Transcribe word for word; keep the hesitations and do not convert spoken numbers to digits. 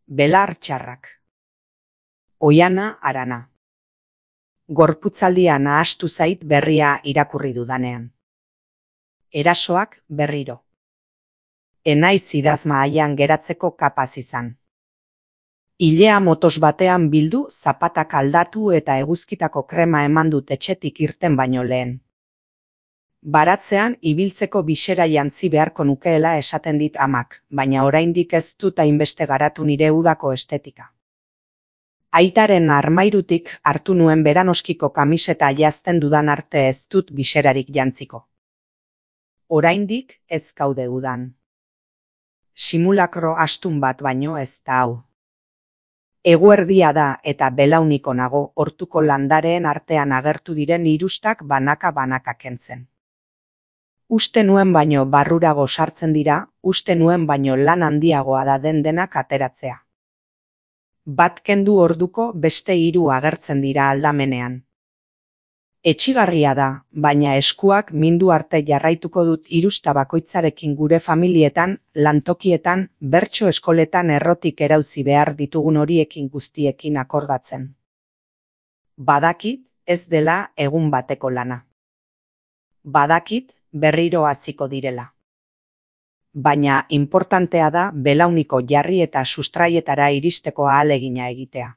Belar txarrak. Oiana Arana. Gorputzaldia nahastu zait berria irakurri dudanean. Erasoak berriro. Enaiz idazma haian geratzeko kapaz izan. Ilea motos batean bildu, zapatak aldatu eta eguzkitako krema eman dut etxetik irten baino lehen. Baratzean ibiltzeko bisera jantzi beharko nukeela esaten dit amak, baina oraindik ez dut hainbeste garatu nire udako estetika. Aitaren armairutik hartu nuen beranoskiko kamiseta jazten dudan arte ez dut biserarik jantziko. Oraindik ez gaude udan. Simulakro astun bat baino ez da hau. Eguerdia da eta belauniko nago hortuko landareen artean agertu diren irustak banaka-banaka kentzen. Uste nuen baino barrurago sartzen dira, uste nuen baino lan handiagoa da den denak ateratzea. Bat kendu orduko beste hiru agertzen dira aldamenean. Etsigarria da, baina eskuak mindu arte jarraituko dut irusta bakoitzarekin gure familietan, lantokietan, bertso eskoletan errotik erauzi behar ditugun horiekin guztiekin akordatzen. Badakit ez dela egun bateko lana. Badakit berriro hasiko direla. Baina inportantea da belauniko jarri eta sustraietara iristeko ahalegina egitea.